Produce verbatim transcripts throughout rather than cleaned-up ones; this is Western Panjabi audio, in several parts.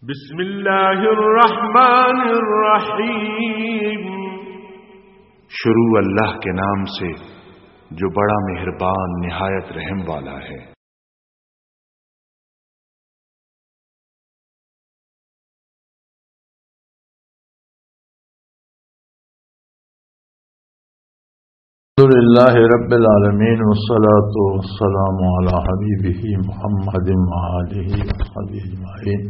بسم اللہ الرحمن الرحیم۔ شروع اللہ کے نام سے، جو بڑا مہربان، نہایت رحم والا ہے۔ الحمد لله رب العالمين، والصلاة والسلام على حبيبه محمد وآله وصحبه أجمعين.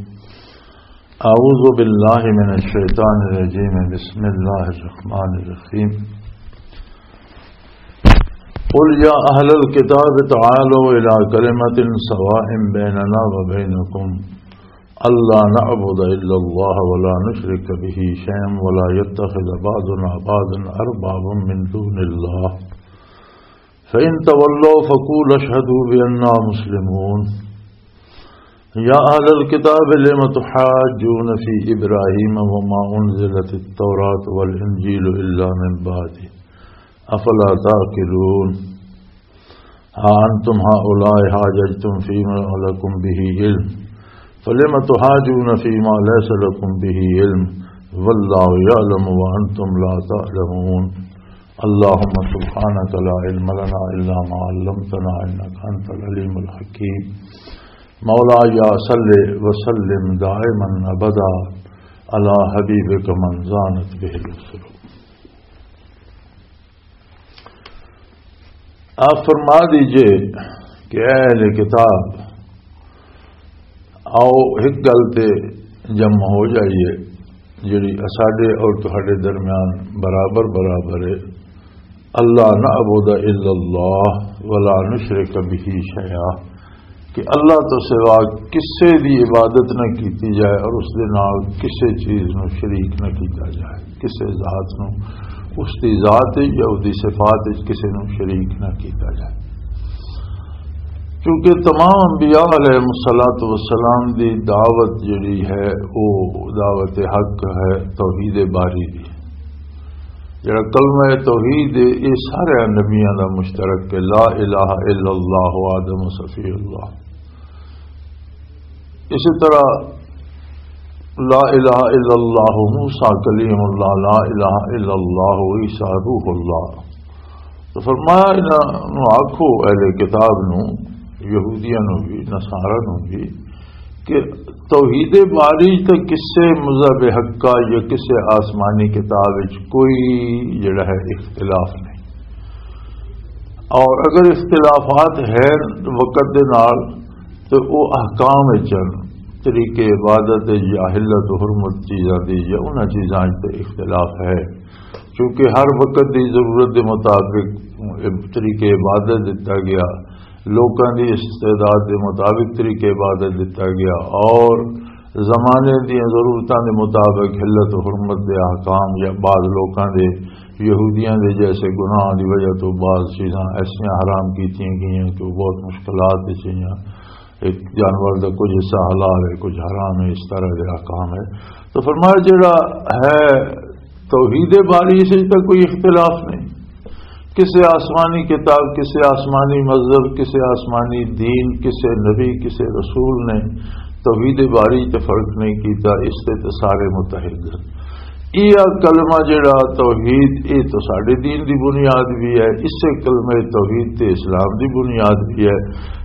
أعوذ بالله من الشيطان الرجيم. بسم الله الرحمن الرحيم. قل يا أهل الكتاب تعالوا إلى كلمة سواء بيننا وبينكم ألا نعبد إلا الله ولا نشرك به شيئا ولا يتخذ بعضنا بعضا أربابا من دون الله فإن تولوا فقولوا اشهدوا بأننا مسلمون. يا أهل الكتاب لم تحاجون في إبراهيم وما أنزلت التوراة والإنجيل إلا من بعده أفلا تعقلون؟ ها أنتم هؤلاء حاججتم فيما لكم به علم فلم تحاجون فيما ليس لكم به علم والله يعلم وأنتم لا تعلمون. اللهم سبحانك لا علم لنا إلا ما علمتنا إنك أنت العليم الحكيم. مولاي صل وسلم دائما أبدا على حبيبك من زانت به الرسل. آپ فرما دیجئے کہ اے اہل کتاب، آؤ ایک گل تے جمع ہو جائیے، جڑی اساڈے اور تہاڈے درمیان برابر برابر ہے۔ اللہ نعبد الا اللہ ولا نشرک به شیئا، کہ اللہ تو سوا کسے دی عبادت نہ کیتی جائے اور اس دے نال کسے چیز نو شریک نہ کیتا جائے، کسے ذات نو، اس دی ذات وچ یا اس دی صفات وچ کسے نو شریک نہ کیتا جائے۔ کیونکہ تمام انبیاء علیہ الصلوۃ والسلام دی دعوت جڑی ہے، وہ دعوت حق ہے، توحید باری دی۔ جڑا کلمہ توحید ہے، یہ سارے نبیاں دا مشترک ہے، لا الہ الا اللہ آدم صفی اللہ۔ اسی طرح لا الہ الا اللہ موسیٰ کلیم اللہ، لا الہ الا اللہ عیسیٰ روح اللہ۔ تو فرمایا، انہاں نوں آکھو، اہل کتاب نوں، یہودیاں نوں بھی، نصارہ نوں بھی، کہ توحید باری تے کسے مذہب حق کا یا کسے آسمانی کتاب وچ کوئی جڑا ہے اختلاف نہیں۔ اور اگر اختلافات ہیں وقت دے نال، تو وہ احکام وچ ہن، طریقے عبادت وچ یا حلت و حرمت چیزاں دی یا انہاں چیزاں وچ تے اختلاف ہے، کیونکہ ہر وقت دی ضرورت دے مطابق طریقے عبادت دتا گیا، لوکاں دی استعداد دے مطابق طریقے عبادت دتا گیا، اور زمانے دی ضرورتاں دے مطابق حلت و حرمت دے احکام یا بعض لوکاں دے، یہودیاں دے جیسے گناہ دی وجہ تو بعض چیزاں ایسیاں حرام کیتیاں گئیاں کہ وہ بہت مشکلات وچ ہیاں۔ ایک جانور دا کچھ حصہ حلال ہے، کچھ حرام ہے، اس طرح دے احکام ہے۔ تو فرمایا، جڑا ہے توحید باری، اس وچ تاں کوئی اختلاف نہیں۔ کسے آسمانی کتاب، کسے آسمانی مذہب، کسے آسمانی دین، کسے نبی، کسے رسول نے توحید باری تے فرق نہیں کیتا، اس تے تے سارے متحد ہیں۔ یہ کلمہ جڑا توحید، یہ تو ساڈے دین دی بنیاد بھی ہے، اسے کلمہ توحید تے اسلام دی بنیاد بھی ہے۔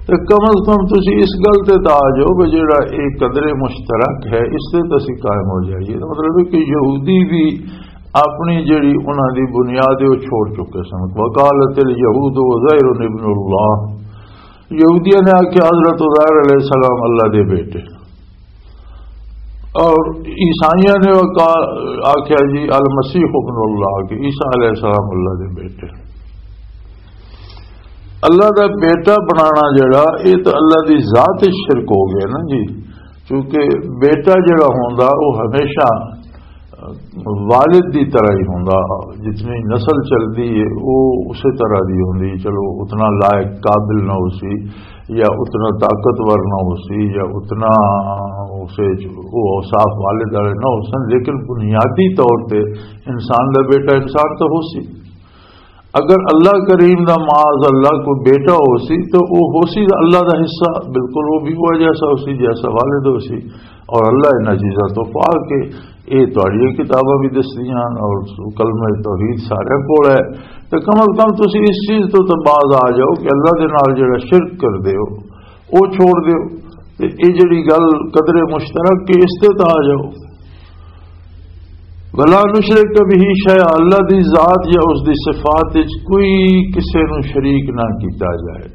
تے کم از کم تسی اس گل تے تاں آ جاؤ کہ جڑا ایک قدر مشترک ہے، اس تے تے اسی قائم ہو جائیے۔ تو مطلب ہے کہ یہودی بھی اپنی جڑی انہاں دی بنیاد ہے، وہ چھوڑ چکے سن۔ وقالت الیہود عزیر ابن اللہ، یہودیاں نے آکھیا حضرت عزیر علیہ السلام اللہ دے بیٹے، اور عیسائیاں نے وقا-، آکھیا جی المسیح ابن اللہ، کہ عیسیٰ علیہ السلام اللہ دے بیٹے۔ اللہ دا بیٹا بنانا جڑا، یہ تو اللہ دی ذات وچ شرک ہو گیا نا جی، کیونکہ بیٹا جڑا ہوندا، وہ ہمیشہ والد دی طرح ہی ہوندا، جتنی نسل چلدی ہے، وہ اسی طرح دی ہوندی۔ چلو، اتنا لائق قابل نہ ہو سی، یا اتنا طاقتور نہ ہو سی، یا اتنا اسے، وہ اوصاف والد والے نہ ہو سن، لیکن بنیادی طور تے انسان دا بیٹا انسان تو ہو سی۔ اگر اللہ کریم دا معاذ اللہ کوئی بیٹا ہو سی تو وہ ہو سی اللہ دا حصہ، بالکل وہ بھی وہ جیسا ہو سی جیسا والد ہو سی۔ اور اللہ انہاں چیزاں تو پاک ہے، یہ تہاڈیاں کتاباں بھی دسدیاں اور کلمہ توحید سارے کول ہے۔ تو کم از کم تسی اس چیز تو تو باز آ جاؤ کہ اللہ دے نال جڑا شرک کر دے ہو، وہ چھوڑ دیو۔ تے یہ جڑی گل قدر مشترک کے، اس تے تو آ جاؤ۔ ولا نشرک به شیئا، اللہ دی ذات یا اس دی صفات وچ کوئی کسے نو شریک نہ کیتا جائے۔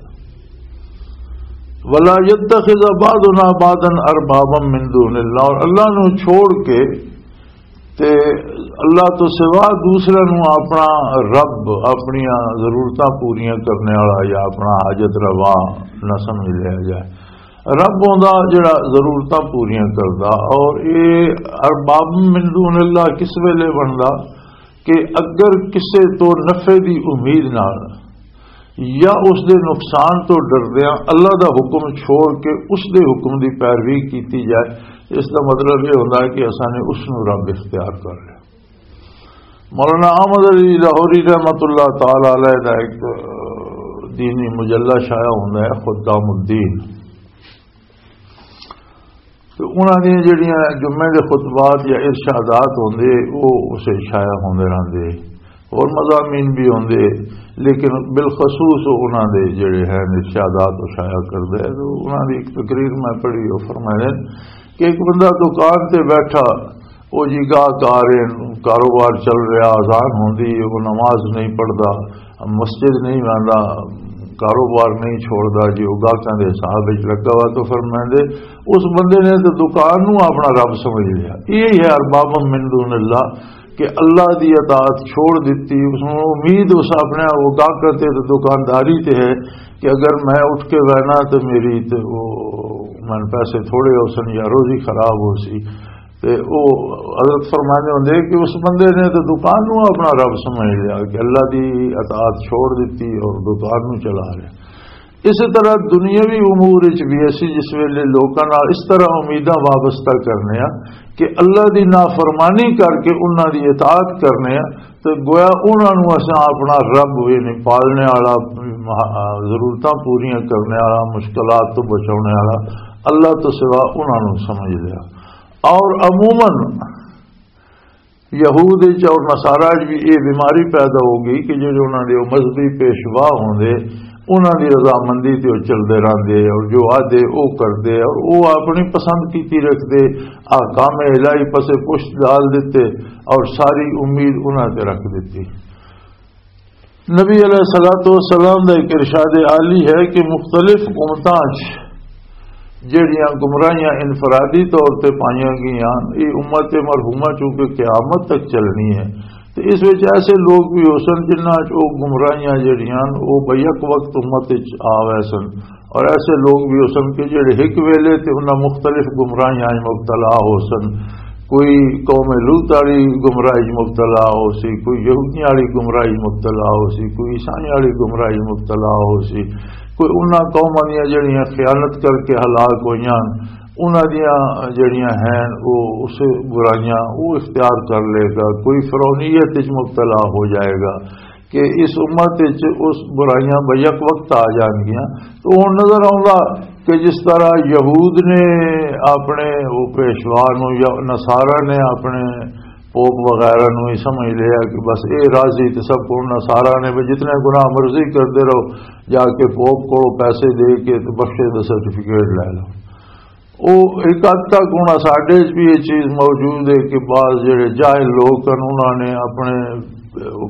ولا يتخذ بعضنا بعضا اربابا من دون اللہ، اور اللہ نو چھوڑ کے تے اللہ تو سوا دوسرے نو اپنا رب، اپنی ضرورتاں پوریاں کرنے والا یا اپنا حاجت روا نہ سمجھ لیا جائے۔ رب ہوندا جڑا ضرورتاں پوریاں کردا، اور اے ارباب من دون اللہ کس ویلے بندا؟ کہ اگر کسے تو نفع دی امید نال یا اس دے نقصان تو ڈردیاں اللہ دا حکم چھوڑ کے اس دے حکم دی پیروی کیتی جائے، اس دا مطلب یہ ہوندا ہے کہ اساں نے اس نو رب اختیار کر لیا۔ مولانا احمد علی لاہوری رحمت اللہ تعالی علیہ دا ایک دینی مجلہ شائع ہوندا ہے، خدام الدین۔ تو انہاں دیاں جڑیاں جمعے دے خطبات یا ارشادات ہوندے، وہ اسے شائع ہوندے رہندے، اور مضامین بھی ہوندے، لیکن بالخصوص وہ انہاں دے جڑے ہیں ارشادات وہ شائع کردے۔ تو انہاں دی ایک تقریر میں پڑھی، وہ فرمائے کہ ایک بندہ دکان تے بیٹھا، وہ جی گاہک آ رہے ہیں، کاروبار چل رہا، اذان ہوندی ہے، وہ نماز نہیں پڑھدا، مسجد نہیں آندا، کاروبار نہیں چھوڑدا، جی وہ گاہکاں دے حساب وچ لگا ہوا۔ تو فرمائندے، اس بندے نے تو دکان نو اپنا رب سمجھ لیا۔ یہی ہے ارباب من دون اللہ، کہ اللہ دی اطاعت چھوڑ دتی، اس نو امید اس اپنے وہ گاہکاں تے تے دکانداری تے ہے کہ اگر میں اٹھ کے بہنا تو میری تے وہ من پیسے تھوڑے ہو سن یا روزی خراب ہو سی۔ تے او حضرت فرماندے ہوندے کہ اس بندے نے تے دکان نو اپنا رب سمجھ لیا، کہ اللہ دی اطاعت چھوڑ دتی اور دکان نو چلا رہا۔ اسی طرح دنیاوی امور وچ بھی اسی جس ویلے لوکاں نال اس طرح امیداں وابستہ کرنے آ کہ اللہ دی نافرمانی کر کے انہاں دی اطاعت کرنے آ، تے گویا انہاں نو اساں اپنا رب، یعنی پالنے والا، ضرورتاں پوریاں کرنے والا، مشکلات تو بچانے والا اللہ تو سوا انہاں نو سمجھ لیا۔ اور عموماً یہود وچ اور نصارا وچ بھی یہ بیماری پیدا ہو گئی کہ جڑے انہاں دے او مذہبی پیشوا ہوندے، انہاں دی رضامندی تے او چلدے رہندے، اور جو آدھے او کردے، اور او اپنی پسند کیتی رکھدے، احکام الہی پسے پشت ڈال دیتے، اور ساری امید انہاں تے رکھ دیتی۔ نبی علیہ الصلوۃ والسلام دا ایک ارشاد عالی ہے کہ مختلف امتاں 'چ جڑیاں گمراہیاں انفرادی طور تے پائیاں گئیاں، یہ امت مرحومہ چونکہ قیامت تک چلنی ہے، تے اس وچ ایسے لوگ بھی ہو سن جنہاں 'چ او گمراہیاں جڑیاں او بیک وقت امت وچ آ وے سن، اور ایسے لوگ بھی ہو سن کہ جڑے ایک ویلے تے انہاں مختلف گمراہیاں 'چ مبتلا ہو سن۔ کوئی قوم لوط والی گمراہی 'چ مبتلا ہو سی، کوئی یہودیاں والی گمراہی 'چ مبتلا ہو سی، کوئی عیسائیاں والی گمراہی 'چ مبتلا ہو سی، کوئی انہاں قوماں دیاں جڑیاں خیانت کر کے ہلاک ہوئیاں، انہاں دیاں جڑیاں ہیں وہ اس برائیاں وہ اختیار کر لے گا، کوئی فرعونیت وچ مبتلا ہو جائے گا۔ کہ اس امت وچ اس برائیاں بیک وقت آ جان گیاں۔ تو ہن نظر آؤندا کہ جس طرح یہود نے اپنے وہ پیشوا نو یا نصارا نے اپنے پوپ وغیرہ نو ہی سمجھ لیا کہ بس اے راضی تے سب کو نصارا نے بھی جتنے گناہ مرضی کردے رہو، جا کے پوپ کو پیسے دے کے تے بخشے دا سرٹیفکیٹ لے لو۔ او ایک حد تک ہن ساڈے وچ بھی یہ چیز موجود ہے کہ بعض جڑے جاہل لوگ ہن، انہاں نے اپنے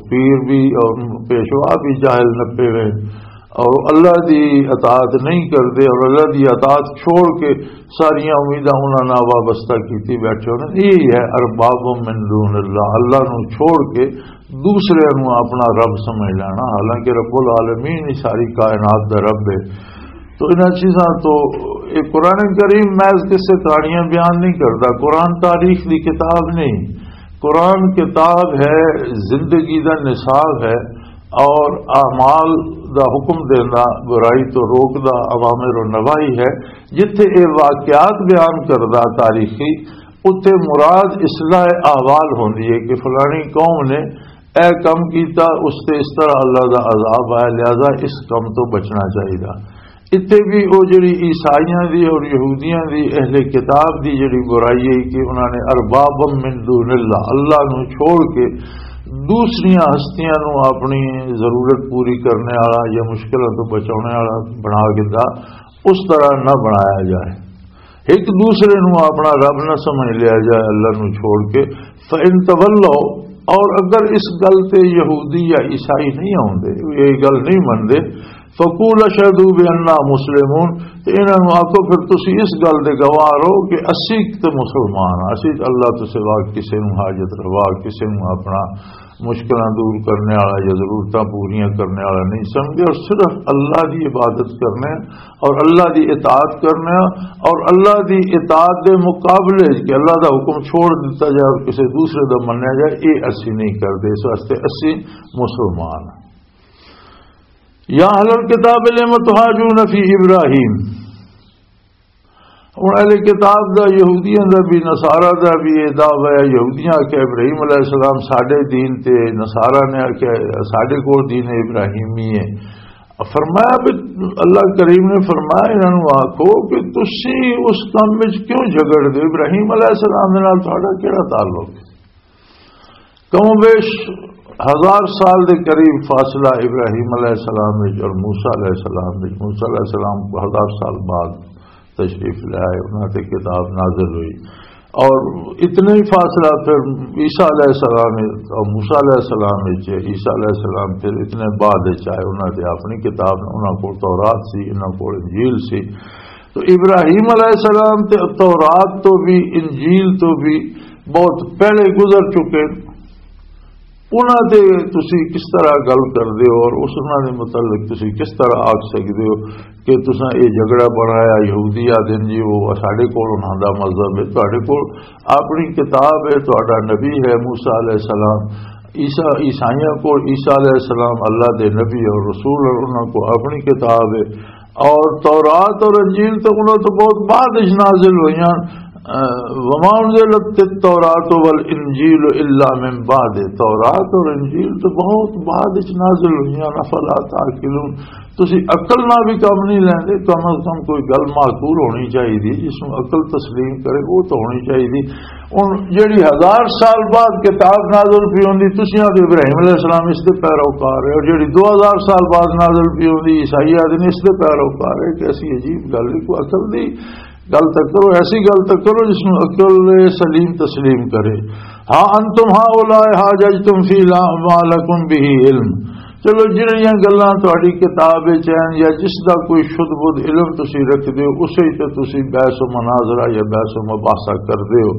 پیر بھی اور پیشوا بھی جاہل نپے ہوئے اور اللہ دی اطاعت نہیں کردے اور اللہ دی اطاعت چھوڑ کے ساریاں امیداں انہاں نال وابستہ کیتی بیٹھے ہونے۔ یہی ہے ارباب من دون اللہ، اللہ نو چھوڑ کے دوسرے نو اپنا رب سمجھ لینا، حالانکہ رب العالمین ہی ساری کائنات دا رب ہے۔ تو انہاں چیزاں تو، یہ قرآن کریم محض قصے کہانیاں بیان نہیں کرتا، قرآن تاریخ دی کتاب نہیں، قرآن کتاب ہے، زندگی دا نصاب ہے، اور اعمال دا حکم دینا، برائی تو روک دا، اوامر و نواہی ہے۔ جتھے یہ واقعات بیان کردا تاریخی، اتھے مراد اصلاح احوال ہوندی ہے کہ فلانی قوم نے اے کم کیتا، اس تے اس طرح اللہ دا عذاب آیا، لہذا اس کم تو بچنا چاہیدا۔ اتھے بھی او جڑی عیسائیاں دی اور یہودیاں دی، اہل کتاب دی جڑی برائی ہے کہ انہاں نے اربابا من دون اللہ، اللہ نو چھوڑ کے دوسریاں ہستیاں نو اپنی ضرورت پوری کرنے والا یا مشکلاں تو بچانے والا بنا کے دا، اس طرح نہ بنایا جائے۔ ایک دوسرے نو اپنا رب نہ سمجھ لیا جائے اللہ نو چھوڑ کے۔ فَإِن تَوَلَّوْا، اور اگر اس گل تے یہودی یا عیسائی نہیں آوندے، یہ گل نہیں مندے، فَقُولُوا اشْهَدُوا بِأَنَّا مُسْلِمُونَ، تے انہاں نو آکھو پھر تسی اس گل دے گواہ رہو کہ اسی تے مسلمان ہاں، اسی تے اللہ تو سوا کسے نو حاجت روا، کسے نو اپنا مشکلاں دور کرنے والا یا ضرورتاں پوریاں کرنے والا نہیں سمجھدے، اور صرف اللہ دی عبادت کرنے اور اللہ دی اطاعت کرنے، اور اللہ دی اطاعت دے مقابلے وچ کہ اللہ دا حکم چھوڑ دتا جائے اور کسی دوسرے دا منیا جائے، یہ اسی نہیں کردے۔ اس واسطے اسی مسلمان ہاں۔ یا اہل الکتاب لم تحاجون فی ابراہیم، ہن اہل کتاب دا، یہودیاں دا بھی، نصارہ دا بھی یہ دعویٰ ہے۔ یہودیاں آکھیا ابراہیم علیہ السلام ساڈے دین تے، نصارہ نے آکھیا ساڈے کول دین ابراہیمی ہے۔ فرمایا بھی، اللہ کریم نے فرمایا انہاں نوں آکھو کہ تسی اس کم وچ کیوں جھگڑ دے؟ ابراہیم علیہ السلام دے نال تہاڈا کیڑا تعلق ہے؟ کم و بیش ہزار سال دے قریب فاصلہ ابراہیم علیہ السلام وچ اور موسیٰ علیہ السلام وچ۔ موسیٰ علیہ السلام کو ہزار سال بعد تشریف لے آئے، انہاں تے کتاب نازل ہوئی، اور اتنا ہی فاصلہ پھر عیسیٰ علیہ السلام اور موسیٰ علیہ السلام وچ۔ عیسیٰ علیہ السلام پھر اتنے بعد وچ آئے، انہاں تے اپنی کتاب، انہاں کو تورات سی، انہاں کو انجیل سی۔ تو ابراہیم علیہ السلام تے تورات تو بھی، انجیل تو بھی بہت پہلے گزر چکے۔ انہاں تے تسی کس طرح گل کردے ہو اور اس، انہاں دے متعلق تسی کس طرح آکھ سکدے ہو کہ تساں اے جھگڑا بنایا؟ یہودی آدن جی، وہ ساڈے کول انہاں دا مذہب ہے، تہاڈے کول اپنی کتاب ہے، تہاڈا نبی ہے موسیٰ علیہ السلام۔ عیسیٰ، عیسائیاں کول عیسیٰ علیہ السلام اللہ دے نبی اور رسول، اور انہاں کول اپنی کتاب ہے۔ اور تورات اور انجیل تو انہاں تو بہت بعد وچ نازل ہوئیاں۔ اہ، وما انزلت التوراۃ والانجیل الا من بعد، تورات اور انجیل تو بہت بعد وچ نازل ہوئیاں۔ افلا تعقلون، تسی عقل نہ بھی کم نہیں لیندے؟ کم از کم کوئی گل معقول ہونی چاہیے، جس نوں عقل تسلیم کرے، وہ تو ہونی چاہیے۔ ہن جڑی ہزار سال بعد کتاب نازل پی ہوندی، تسی آدھے ابراہیم علیہ السلام اس دے پیروکار ہے، اور جڑی دو ہزار سال بعد نازل پی ہوندی، عیسائی آدھے نے اس دے پیروکار ہے۔ کہ ایسی عجیب گل ہے، کوئی عقل دی گل تک کرو، ایسی گل تک کرو جس میں عقل سلیم تسلیم کرے۔ ہاں، انتم ہؤلاء حاججتم فیما لکم بہ علم، چلو، جڑیاں گلاں تہاڈی کتاب وچ ہن یا جس دا کوئی شد بدھ علم تسی رکھدے ہو، اسے تے تسی بحث و مناظرہ یا بحث و مباحثہ کردے ہو۔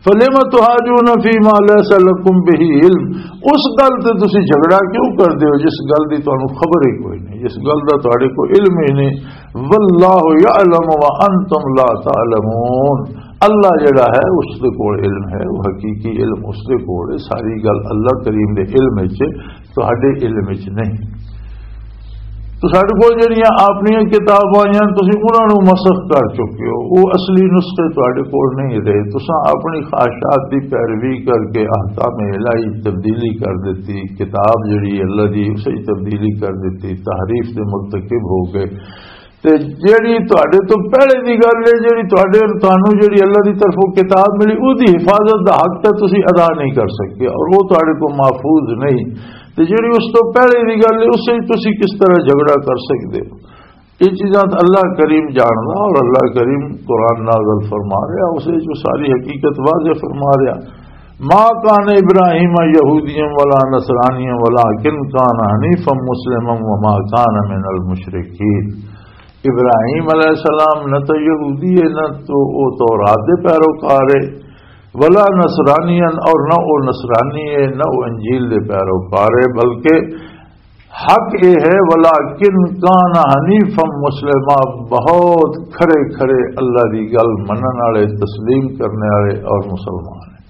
فلم تحاجون فیما لیس لکم بہ علم، اس گل تے تسی جھگڑا کیوں کردے ہو جس گل دی تانوں خبر ہی کوئی نہیں، جس گل دا تہاڈے کوئی علم ہی نہیں؟ واللہ یعلم وانتم لا تعلمون، اللہ جڑا ہے اس دے کول علم ہے، وہ حقیقی علم اس دے کول ہے، ساری گل اللہ کریم دے علم وچ، تہاڈے علم وچ نہیں۔ تو ساڈے کول جڑیاں اپنیاں کتاباں آئیاں، تسی انہاں نوں مسخ کر چکے ہو، وہ اصلی نسخے تہاڈے کول نہیں رہے۔ تساں اپنی خواہشات دی پیروی کر کے احکام الہی تبدیلی کر دتی، کتاب جڑی اللہ دی اسے تبدیلی کر دتی، تحریف دے مرتکب ہو گئے۔ تے جیڑی تہاڈے تو پہلے دی گل ہے، جیڑی تہاڈے، تانوں جیڑی اللہ دی طرفوں کتاب ملی، او دی حفاظت دا حق تے تسی ادا نہیں کر سکے، اور وہ تہاڈے کو محفوظ نہیں۔ تے جیڑی اس تو پہلے دی گل ہے، اس وچ تسی کس طرح جھگڑا کر سکدے ہو؟ یہ چیزاں تے اللہ کریم جاندا، اور اللہ کریم قرآن نازل فرما رہا، اس وچ وہ ساری حقیقت واضح فرما رہا۔ ما کان ابراہیم یہودیا ولا نصرانیا ولکن کان حنیفا مسلما وما کان من المشرکین۔ ابراہیم علیہ السلام نہ تو یہودی ہے، نہ تو وہ تورات دے پیروکار ہے، ولا نصرانین، اور نہ وہ نصرانی ہے، نہ وہ انجیل دے پیروکار ہے، بلکہ حق یہ ہے، ولاکن کان حنیفا مسلما، بہت کھرے کھرے اللہ دی گل منن والے، تسلیم کرنے والے اور مسلمان ہیں۔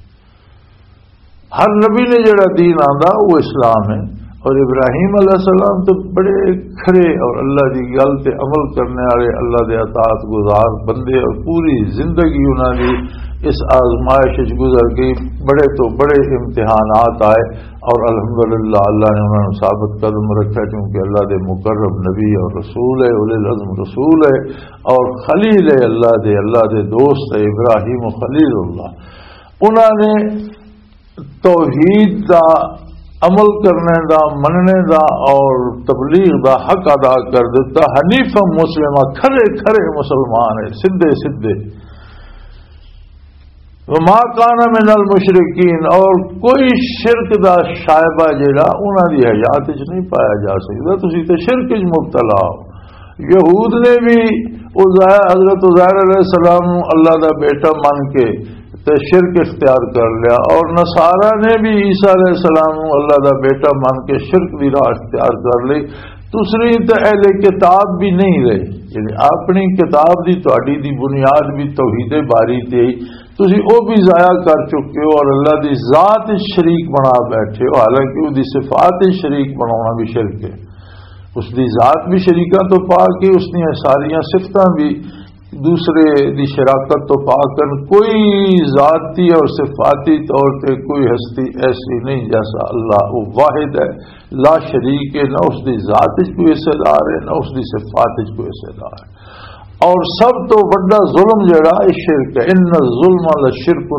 ہر نبی نے جڑا دین آندا، وہ اسلام ہے۔ اور ابراہیم علیہ السلام تو بڑے کھرے اور اللہ دی گل تے عمل کرنے والے، اللہ دے اطاعت گزار بندے، اور پوری زندگی انہاں دی اس آزمائش وچ گزر گئی، بڑے تو بڑے امتحانات آئے، اور الحمدللہ اللہ نے انہاں نوں ثابت قدم رکھا، کیونکہ اللہ دے مقرب نبی اور رسول ہے، اولی العزم رسول ہے، اور خلیل ہے اللہ دے، اللہ دے دوست ہے ابراہیم خلیل اللہ۔ انہاں نے توحید دا، عمل کرنے دا، مننے دا اور تبلیغ دا حق ادا کر دیتا۔ حنیفا مسلمہ، کھرے کھرے مسلمان ہے، سدھے سدھے۔ وما کان من المشرکین، اور کوئی شرک دا شائبہ جڑا انہاں دی حیات وچ نہیں پایا جا سکدا۔ تسی تے شرک وچ مبتلا ہو۔ یہود نے بھی عزیر، حضرت عزیر علیہ السلام نوں اللہ دا بیٹا من کے تے شرک اختیار کر لیا، اور نصارہ نے بھی عیسیٰ علیہ السلام نوں اللہ دا بیٹا من کے شرک دی راہ اختیار کر لی۔ تسری تے اہل کتاب بھی نہیں رہے، یعنی اپنی کتاب دی، تہاڈی دی بنیاد بھی توحید باری تے ہی، تسی او بھی ضائع کر چکے ہو اور اللہ دی ذات وچ شریک بنا بیٹھے ہو، حالانکہ او دی صفات وچ شریک بناونا بھی شرک ہے۔ اس دی ذات بھی شریکاں تو پاک ہے، اس دیاں ساریاں صفتاں بھی دوسرے دی شراکت تو پاک ہیں۔ کوئی ذاتی اور صفاتی طور تے کوئی ہستی ایسی نہیں جیسا اللہ، وہ واحد ہے، لا شریک ہے، نہ اس دی ذات وچ کوئی حصے دار ہے، نہ اس دی صفات وچ کوئی حصے دار ہے۔ اور سب تو وڈا ظلم جڑا ہے، شرک ہے۔ ان الظلم لشرک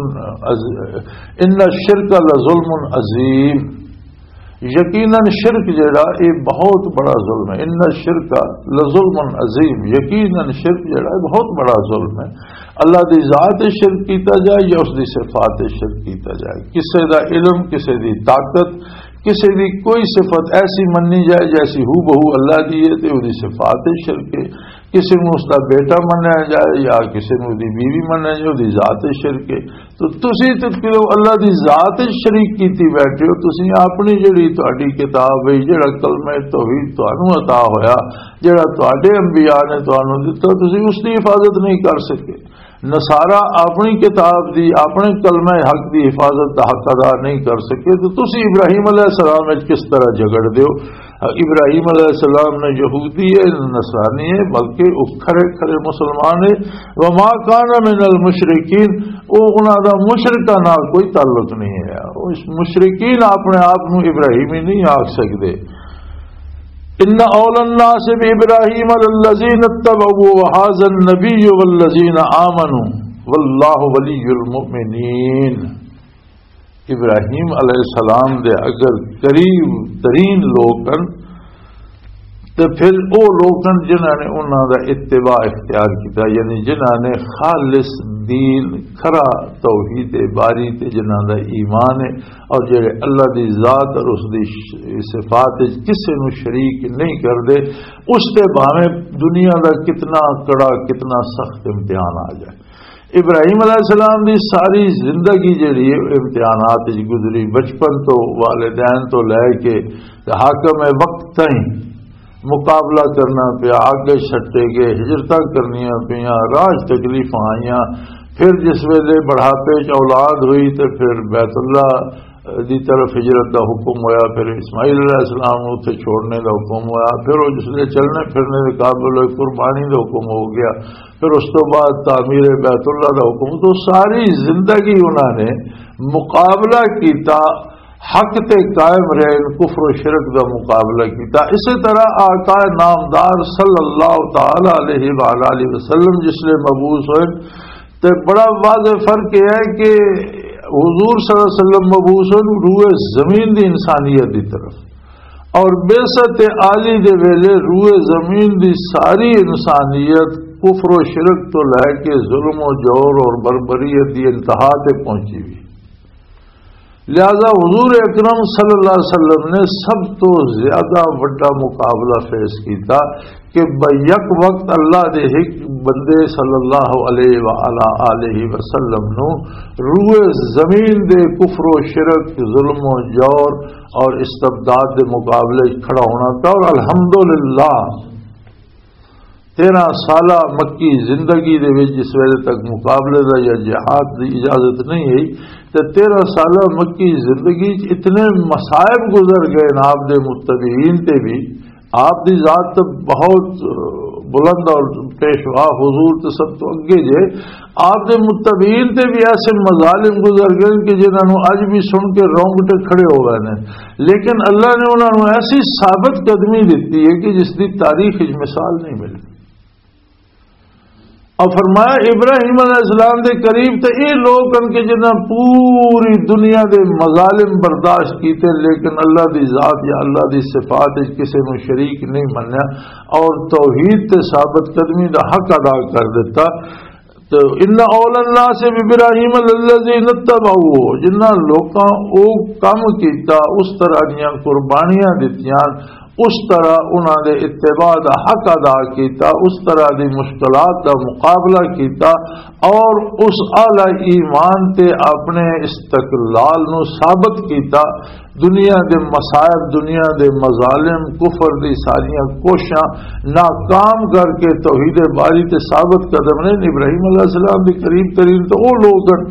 عظ-، ان الشرک لظلم عظیم۔ یقیناً شرک جڑا، یہ بہت بڑا ظلم ہے۔ ان الشرک لظلم عظیم، یقیناً شرک جڑا، یہ بہت بڑا ظلم ہے۔ اللہ دی ذات شرک کیتا جائے یا اس دی صفات شرک کیتا جائے، کسے دا علم، کسے دی طاقت، کسے دی کوئی صفت ایسی مننی جائے جیسی ہو بہو اللہ دی ہے، تے او دی صفات شرک ہے۔ کسے نوں اس دا بیٹا منیا جائے یا کسے نوں دی بیوی منیا جائے، او دی ذات شرک ہے۔ تو تسی تے پھر اللہ دی ذات وچ شریک کیتی بیٹھے ہو۔ تسی اپنی جڑی تہاڈی کتاب ہے، جڑا کلمہ توحید تانوں عطا ہویا، جڑا تہاڈے انبیاء نے تانوں دتا، تسی اس دی حفاظت نہیں کر سکے۔ نصارہ اپنی کتاب دی، اپنے کلمہ حق دی حفاظت دا حق ادا نہیں کر سکے، تو تسی ابراہیم علیہ السلام وچ کس طرح جھگڑ دیو؟ ابراہیم علیہ السلام نے یہودی ہے، نصرانی ہے، بلکہ وہ کھرے کھرے مسلمان ہے۔ وما کان من المشرکین، وہ انہاں دا مشرکاں نال کوئی تعلق نہیں ہے۔ وہ اس مشرکین اپنے آپ نو ابراہیمی نہیں آکھ سکدے۔ ان اول الناس بابراہیم للذین اتبعوا وهذا النبی والذین آمنوا واللہ ولی المؤمنین۔ ابراہیم علیہ السلام دے اگر قریب ترین لوگ ہن، تے پھر او لوگ ہن جنہاں نے انہاں دا اتباع اختیار کیتا، یعنی جنہاں نے خالص دین، کھرا توحید باری تے جنہاں دا ایمان ہے، اور جڑے اللہ دی ذات اور اس دی ش-، صفات وچ کسے نو شریک نہیں کردے، اس تے بھاویں دنیا دا کتنا کڑا، کتنا سخت امتحان آ جائے۔ ابراہیم علیہ السلام دی ساری زندگی جڑی ہے، امتحانات وچ گزری۔ بچپن تو، والدین تو لے کے تے حاکم وقت تائیں مقابلہ کرنا پیا، آگے چھٹے گئے، ہجرتاں کرنیاں پیاں، راج تکلیفاں آئیاں۔ پھر جس ویلے بڑھاپے چ اولاد ہوئی تے پھر بیت اللہ دی طرف ہجرت دا حکم ہویا، پھر اسماعیل علیہ السلام نوں اتھے چھوڑنے دا حکم ہویا، پھر وہ جس ویلے چلنے پھرنے دے قابل ہوئے، قربانی دا حکم ہو گیا، پھر اس تو بعد تعمیر بیت اللہ دا حکم۔ تو ساری زندگی انہاں نے مقابلہ کیتا، حق تے قائم رہے، کفر و شرک دا مقابلہ کیتا۔ اسی طرح آقا نامدار صلی اللہ تعالی علیہ وآلہ وسلم جس لئے مبعوث ہوئے، تے بڑا واضح فرق یہ ہے کہ حضور صلی اللہ علیہ وسلم مبعوث ہوئے روئے زمین دی انسانیت دی طرف، اور بعثت عالی دے ویلے روئے زمین دی ساری انسانیت کفر و شرک تو لے کے ظلم و جور اور بربریت دی انتہا تے پہنچی ہوئی۔ لہذا حضور اکرم صلی اللہ علیہ وسلم نے سب تو زیادہ وڈا مقابلہ فیس کیتا کہ بیک وقت اللہ دے ایک بندے صلی اللہ علیہ وآلہ آلہ وسلم نو روئے زمین دے کفر و شرک، ظلم و جور اور استبداد دے مقابلے وچ کھڑا ہونا پیا۔ اور الحمدللہ تیرہ سالہ مکی زندگی دے وچ جس ویلے تک مقابلے دا یا جہاد دی اجازت نہیں ہوئی، تے تیرہ سالہ مکی زندگی وچ اتنے مصائب گزر گئے نا آپ دے متبعین تے بھی۔ آپ دی ذات تے بہت، بلند اور پیشوا حضور تے سب تو اگے جے، آپ دے متبعین تے بھی ایسے مظالم گزر گئے کہ جنہاں نوں اج بھی سن کے رونگٹے کھڑے ہو گئے نے۔ لیکن اللہ نے انہاں نوں ایسی ثابت قدمی دتی ہے کہ جس دی تاریخ وچ مثال نہیں ملی۔ اور فرمایا، ابراہیم علیہ السلام دے قریب تے اے لوگ ہن کہ جنہاں پوری دنیا دے مظالم برداشت کیتے، لیکن اللہ دی ذات یا اللہ دی صفات وچ کسے نوں شریک نہیں منیا اور توحید تے ثابت قدمی دا حق ادا کر دتا۔ تو ان اول الناس بابراہیم الذین اتبعوہ، جنہاں لوکاں او کم کیتا، اس طرح دیاں قربانیاں دتیاں، اس طرح انہاں دے اتباع دا حق ادا کیتا، اس طرح دی مشکلات دا مقابلہ کیتا، اور اس اعلی ایمان تے اپنے استقلال نو ثابت کیتا۔ دنیا دے مصائب، دنیا دے مظالم، کفر دی ساریاں کوششاں ناکام کر کے توحید باری تے ثابت قدم نے۔ ابراہیم علیہ السلام دے قریب ترین تو وہ لوگ ہن۔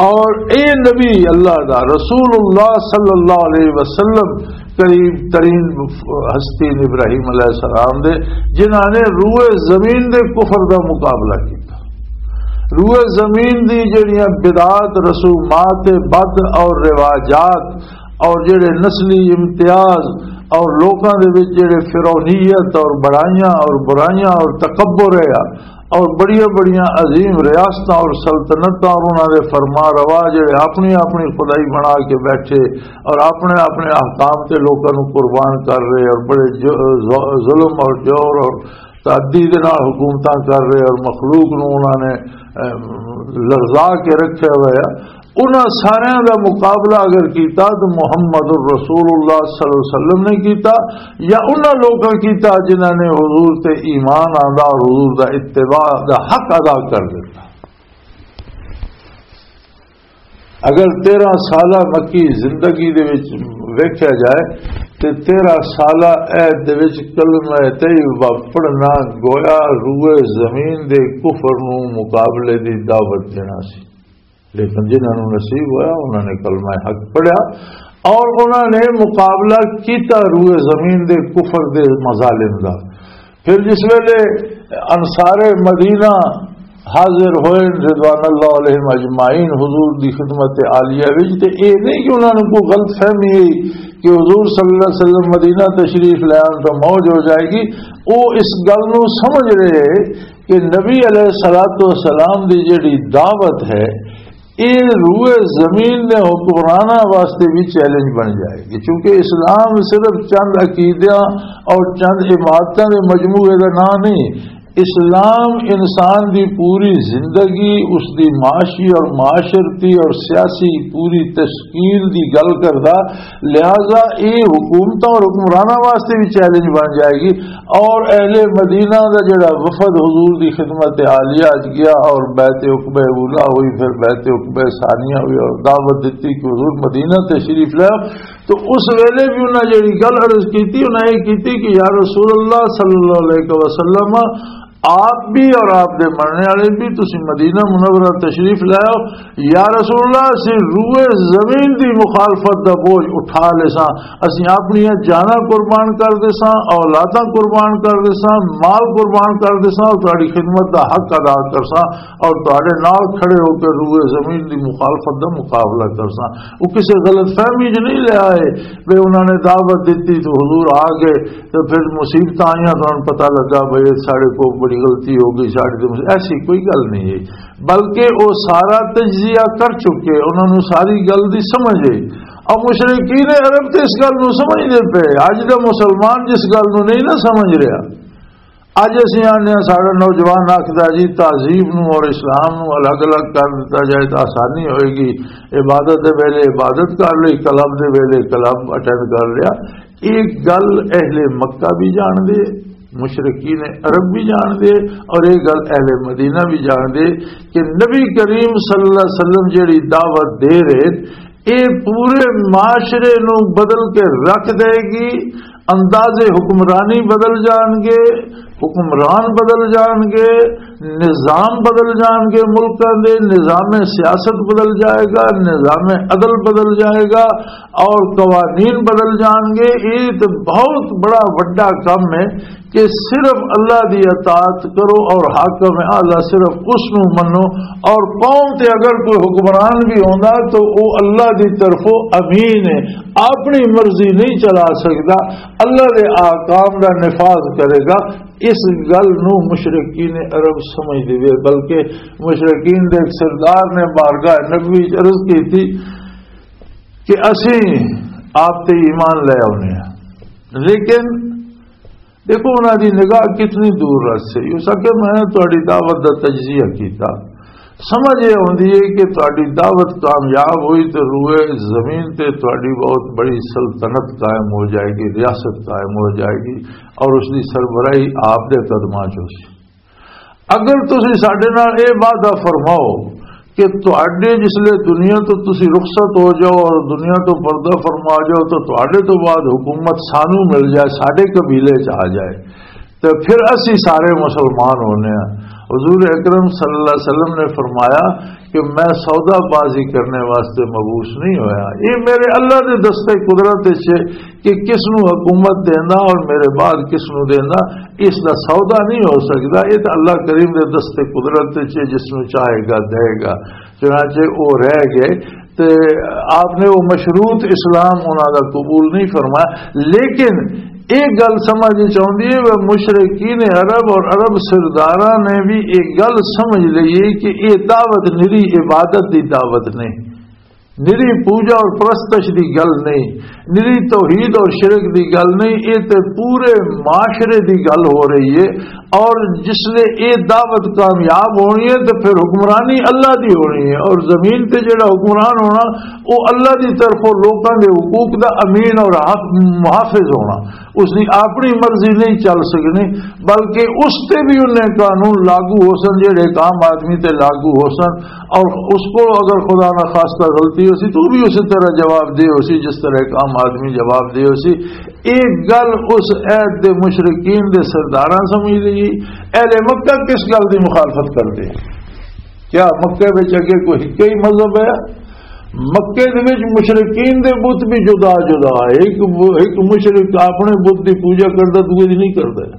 اور اے نبی اللہ دا، رسول اللہ صلی اللہ علیہ وسلم، قریب ترین ہستی نے ابراہیم علیہ السلام دے، جنہاں نے روئے زمین دے کفر دا مقابلہ کیتا۔ روئے زمین دی جڑیاں بدعات، رسومات، بد اور رواجات اور جڑے نسلی امتیاز اور لوکاں دے وچ جڑے فرعونیت اور بڑائیاں اور برائیاں اور تکبر ہے، اور بڑیاں بڑیاں عظیم ریاستاں اور سلطنتاں اور انہاں دے فرما روا جڑے اپنی اپنی خدائی بنا کے بیٹھے اور اپنے اپنے احکام تے لوکاں نوں قربان کر رہے اور بڑے ج-، ظ-، ظلم اور جور اور تعدی دے نال حکومتاں کر رہے اور مخلوق نوں انہاں نے، اے، لرزا کے رکھیا ہوا ہے۔ انہاں ساریاں دا مقابلہ اگر کیتا تو محمد الرسول اللہ صلی اللہ علیہ وسلم نے کیتا، یا انہاں لوکاں کیتا جنہاں نے حضور تے ایمان آندا اور حضور دا اتباع دا حق ادا کر دیتا۔ اگر تیرہ سالہ مکی زندگی دے وچ ویکھیا جائے تے تیرہ سالہ عہد دے وچ کلمہ طیبہ پڑھنا گویا روئے زمین دے کفر نوں مقابلے دی دعوت دینا سی۔ لیکن جنہاں نوں نصیب ہویا، انہاں نے کلمہ حق پڑھیا اور انہاں نے مقابلہ کیتا روئے زمین دے کفر دے مظالم دا۔ پھر جس ویلے انصار مدینہ حاضر ہوئے رضوان اللہ علیہم اجمعین حضور دی خدمت عالیہ وچ، تے اے نہیں کہ انہاں نوں کوئی غلط فہمی ہے کہ حضور صلی اللہ علیہ وسلم مدینہ تشریف لے آن تو موج ہو جائے گی۔ وہ اس گل نوں سمجھ رہے کہ نبی علیہ الصلوۃ والسلام دی جڑی دعوت ہے، یہ روئے زمین دے حکمراناں واسطے بھی چیلنج بن جائے گی، کیونکہ اسلام صرف چند عقیدیاں اور چند عبادتاں دے مجموعے دا نام نہیں۔ اسلام انسان دی پوری زندگی، اس دی معاشی اور معاشرتی اور سیاسی پوری تشکیل دی گل کردا۔ لہذا یہ حکومتاں اور حکمراناں واسطے بھی چیلنج بن جائے گی۔ اور اہل مدینہ دا جڑا وفد حضور دی خدمت عالیہ اچ گیا اور بیعت عقبہ اولا ہوئی، پھر بیعت عقبہ ثانیہ ہوئی اور دعوت دتی کہ حضور مدینہ تشریف لے آؤ۔ تو اس ویلے بھی انہاں جڑی گل عرض کیتی، انہاں یہ کیتی کہ یا رسول اللہ صلی اللہ علیہ وسلم، آپ بھی اور آپ دے مرنے والے بھی، تسی مدینہ منورہ تشریف لے آؤ۔ یا رسول اللہ، اسی روئے زمین دی مخالفت دا بوجھ اٹھا لے ساں، اسی اپنی جاناں قربان کر دے ساں، اولاداں قربان کر دے ساں، مال قربان کر دے ساں، اور تہاڈی خدمت دا حق ادا کر ساں، اور تہاڈے نال کھڑے ہو کے روئے زمین دی مخالفت دا مقابلہ کر ساں۔ وہ کسے غلط فہمی چ نہیں لے آئے، بے انہاں نے دعوت دتی تو حضور آ گئے، تو پھر مصیبتاں آئیاں، تہاڈوں پتہ لگا بھئی ساڈے کو بڑی غلطی ہو گئی، ساڈے تے مصیبت، ایسی کوئی گل نہیں ہے، بلکہ وہ سارا تجزیہ کر چکے، انہاں نوں ساری گل دی سمجھ ہے۔ اب مشرکین عرب تے اس گل نوں سمجھدے پے، اج دا مسلمان جس گل نوں نہیں نہ سمجھ رہا۔ اج اسی آنے ہاں، ساڈا نوجوان آکھدا جی تہذیب نوں اور اسلام نوں الگ الگ کر دتا جائے تو آسانی ہوئے گی، عبادت دے ویلے عبادت کر لئی، کلب دے ویلے کلب اٹینڈ کر لیا۔ ایک گل اہل مکہ بھی جان دے، مشرکین عرب بھی جان دے، اور ایک گل اہل مدینہ بھی جان دے کہ نبی کریم صلی اللہ علیہ وسلم جڑی دعوت دے رہے، اے پورے معاشرے نو بدل کے رکھ دے گی۔ انداز حکمرانی بدل جان گے، حکمران بدل جان گے، نظام بدل جان گے، ملکاں دے نظام سیاست بدل جائے گا، نظام عدل بدل جائے گا اور قوانین بدل جان گے۔ یہ تو بہت بڑا وڈا کم ہے کہ صرف اللہ دی اطاعت کرو اور حاکم اعلیٰ صرف اس نو منو، اور قوم تے اگر کوئی حکمران بھی ہوندا تو وہ اللہ دی طرفوں امین ہے، اپنی مرضی نہیں چلا سکدا، اللہ دے احکام دا نفاذ کرے گا۔ اس گل نو مشرکین عرب سمجھ دیوے، بلکہ مشرکین دے ایک سردار نے بارگاہ نبوی وچ عرض کی تھی کہ اسی آپ تے ایمان لے آؤنے ہیں، لیکن دیکھو انہاں دی نگاہ کتنی دور رس ہے۔ اس آکھیا میں تہاڈی دعوت دا تجزیہ کیتا، سمجھ یہ آندی ہے کہ تہاڈی دعوت کامیاب ہوئی تو روئے زمین تے تہاڈی بہت بڑی سلطنت قائم ہو جائے گی، ریاست قائم ہو جائے گی اور اس دی سربراہی آپ دے قدماں چ ہو سی۔ اگر تسی ساڈے نال اے وعدہ فرماؤ کہ تہاڈے جس لے دنیا تو تسی رخصت ہو جاؤ اور دنیا تو پردہ فرما جاؤ تو تہاڈے تو بعد حکومت سانو مل جائے، ساڈے قبیلے چ آ جائے، تو پھر اسی سارے مسلمان ہونے ہیں۔ حضور اکرم صلی اللہ علیہ وسلم نے فرمایا کہ میں سودا بازی کرنے واسطے مبعوث نہیں ہویا، یہ میرے اللہ دے دستے قدرت وچ ہے کہ کس نو حکومت دینا اور میرے بعد کس نو دینا، اس دا سودا نہیں ہو سکدا۔ یہ تو اللہ کریم دے دستے قدرت وچ ہے، جس نو چاہے گا دے گا۔ چنانچہ وہ رہ گئے تے آپ نے وہ مشروط اسلام انہاں دا قبول نہیں فرمایا۔ لیکن ایک گل سمجھ وچ آندی ہے، وہ مشرکین عرب اور عرب سرداراں نے بھی ایک گل سمجھ لئی ہے کہ یہ دعوت نری عبادت دی دعوت نہیں، نری پوجا اور پرستش دی گل نہیں، نری توحید اور شرک دی گل نہیں، یہ تے پورے معاشرے دی گل ہو رہی ہے۔ اور جس لے اے دعوت کامیاب ہونی ہے تو پھر حکمرانی اللہ دی ہونی ہے، اور زمین تے جڑا حکمران ہونا، وہ اللہ دی طرفوں لوکاں دے حقوق دا امین اور حق، محافظ ہونا۔ اس دی اپنی مرضی نہیں چل سکنی، بلکہ اس تے بھی انہیں قانون لاگو ہو سن جڑے ایک عام آدمی تے لاگو ہو سن۔ اور اس کو اگر خدا نہ خواستہ غلطی ہو سی تو بھی اسی طرح جواب دے ہو سی جس طرح ایک عام آدمی جواب دے ہو سی۔ ایک گل اس عہد دے مشرکین دے سرداراں سمجھ لئی۔ اہل مکہ کس گل دی مخالفت کردے؟ کیا مکے وچ اگے کوئی ہک ہی مذہب ہے؟ مکے دے وچ مشرکین دے بت بھی جدا جدا ہے۔ ایک، ایک مشرک اپنے بت دی پوجا کردا، دوجے دی نہیں کردا۔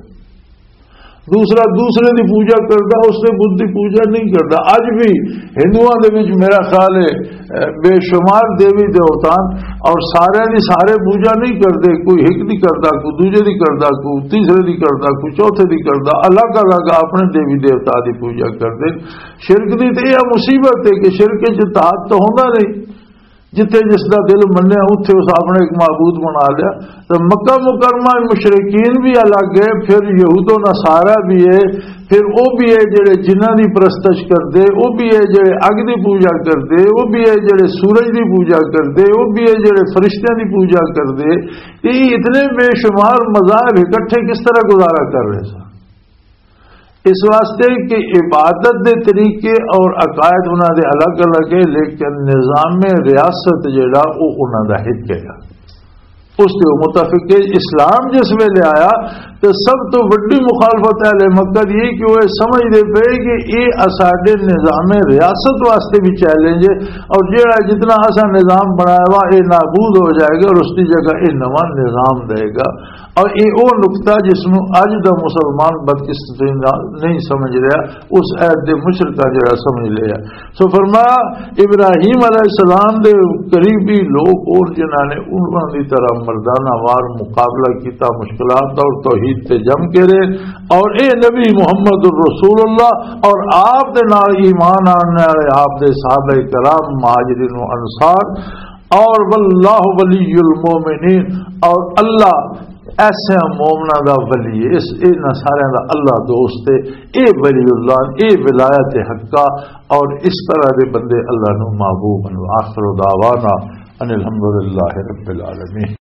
دوسرا دوسرے دی پوجا کردا، اس دے بت دی پوجا نہیں کردا۔ اج بھی ہندوؤں دے وچ میرا خیال ہے، اہ، بے شمار دیوی دیوتا، اور سارے دی سارے پوجا نہیں کردے۔ کوئی ہک دی کردا، کوئی دوجے دی کردا، کوئی تیسرے دی کردا، کوئی چوتھے دی کردا، الگ الگ اپنے دیوی دیوتا دی پوجا کردے۔ شرک دی تے یہ مصیبت ہے کہ شرک وچ اتحاد تو ہوندا نہیں، جتھے جس دا دل منیا اتھے اس اپنے ایک معبود بنا لیا۔ تے مکہ مکرمہ مشرکین بھی الگ ہے، پھر یہود و نصارہ بھی ہے، پھر او بھی ہے جڑے جنہاں دی پرستش کردے، او بھی ہے جڑے اگ دی پوجا کردے، او بھی ہے جڑے سورج دی پوجا کردے، او بھی ہے جڑے فرشتیاں دی پوجا کردے۔ یہ اتنے بے شمار مذاہب اکٹھے کس طرح گزارا کر رہے سن؟ اس واسطے کہ عبادت دے طریقے اور عقائد انہاں دے الگ الگ ہے، لیکن نظام ریاست جڑا او انہاں دا ہک ہے۔ اس دے متفق ہے۔ اسلام جس ویلے آیا تو سب تو وڈی مخالفت اہل مکہ دی یہ کہ وہ سمجھ دے پے کہ یہ اساڈے نظام ریاست واسطے بھی چیلنج ہے، اور جڑا جتنا اسا نظام بنایا وا یہ نابود ہو جائے گا اور اس کی جگہ یہ نواں نظام دے گا۔ اور یہ وہ نقطہ جس نو اج دا مسلمان بدقسمتی نال نہیں سمجھ رہا، اس عہد دے مشرکاں جڑا سمجھ لیا۔ سو فرمایا، ابراہیم علیہ السلام دے قریبی لوگ اور جنہاں نے انہاں دی طرح مردانہ وار مقابلہ کیتا، مشکلات اور توحید تے جم کے رہے۔ اور اے نبی محمد الرسول اللہ اور آپ دے نال ایمان آنے والے آپ دے صحابہ کرام، مہاجرین و انصار، اور واللہ ولی المومنین، اور اللہ ایسے مومناں دا ولی ہے، اس انہاں سارے دا اللہ دوست ہے۔ اے ولی اللہ، اے ولایت حقہ، اور اس طرح دے بندے اللہ نو محبوب ہیں۔ وآخر دعوانا ان الحمدللہ رب العالمین۔